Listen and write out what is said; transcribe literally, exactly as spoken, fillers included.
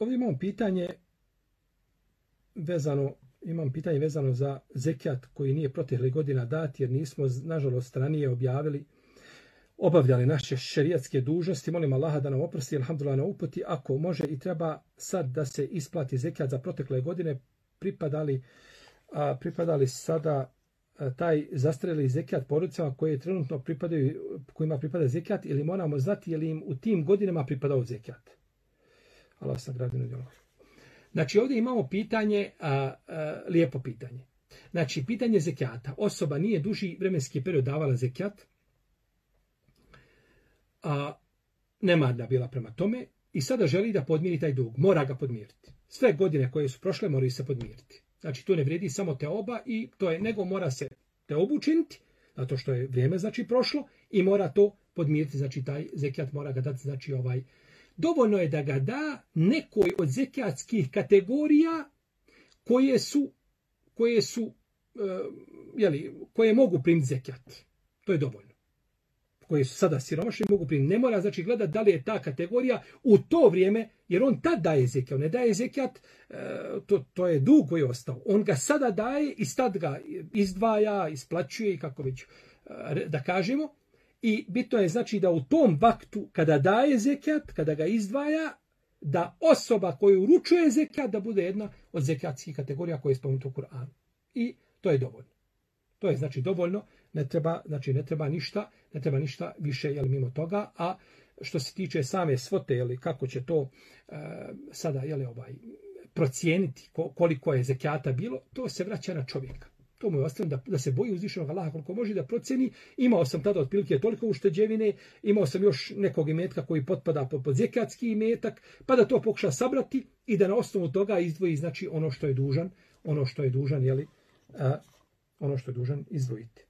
ovdje imamo pitanje vezano, imam pitanje vezano za zekijat koji nije proteklih godina dat, jer nismo, nažalost, ranije objavili, obavljali naše šerijatske dužnosti. Molim Allaha da nam oprosti, alhamdulillah na uputi. Ako može i treba sad da se isplati zekijat za protekle godine, pripadali, a, pripadali sada a, taj zastreli zekijat porodicama koje trenutno pripadaju, kojima pripada zekijat, ili moramo znati je li im u tim godinama pripadao zekijat. Allah sagradi na djelo. Znači ovdje imamo pitanje, a, a, lijepo pitanje. Znači pitanje zekijata. Osoba nije duži vremenski period davala zekijat, a nemarna bila prema tome i sada želi da podmiri taj dug. Mora ga podmiriti. Sve godine koje su prošle moraju se podmiriti. Znači tu ne vrijedi samo teoba i to je, nego mora se teobu učiniti, zato što je vrijeme znači prošlo i mora to podmiriti. Znači taj zekijat mora ga dati, znači ovaj. Dovoljno je da ga da nekoj od zekijatskih kategorija koje su, koje su, uh, jeli, koje mogu primiti zekijat. To je dovoljno. Koje su sada siromašni mogu primiti. Ne mora znači gledati da li je ta kategorija u to vrijeme, jer on tad daje zekijat. On ne daje zekijat, uh, to, to je dug koji je ostao. On ga sada daje i sad ga izdvaja, isplaćuje i kako već uh, da kažemo. I bitno je znači da u tom vaktu kada daje zekijat, kada ga izdvaja, da osoba koju uručuje zekijat da bude jedna od zekijatskih kategorija koje je spomenuto u Kur'anu. I to je dovoljno. To je znači dovoljno, ne treba, znači ne treba ništa, ne treba ništa više jel, mimo toga, a što se tiče same svote, jel, kako će to uh, sada jel, ovaj, procijeniti koliko je zekijata bilo, to se vraća na čovjeka. To mu je ostavljeno da, da se boji uzvišenog Allaha koliko može da procjeni. Imao sam tada otprilike toliko ušteđevine, imao sam još nekog imetka koji potpada pod zekijatski imetak, pa da to pokuša sabrati i da na osnovu toga izdvoji znači ono što je dužan, ono što je dužan, jeli, a, ono što je dužan izdvojiti.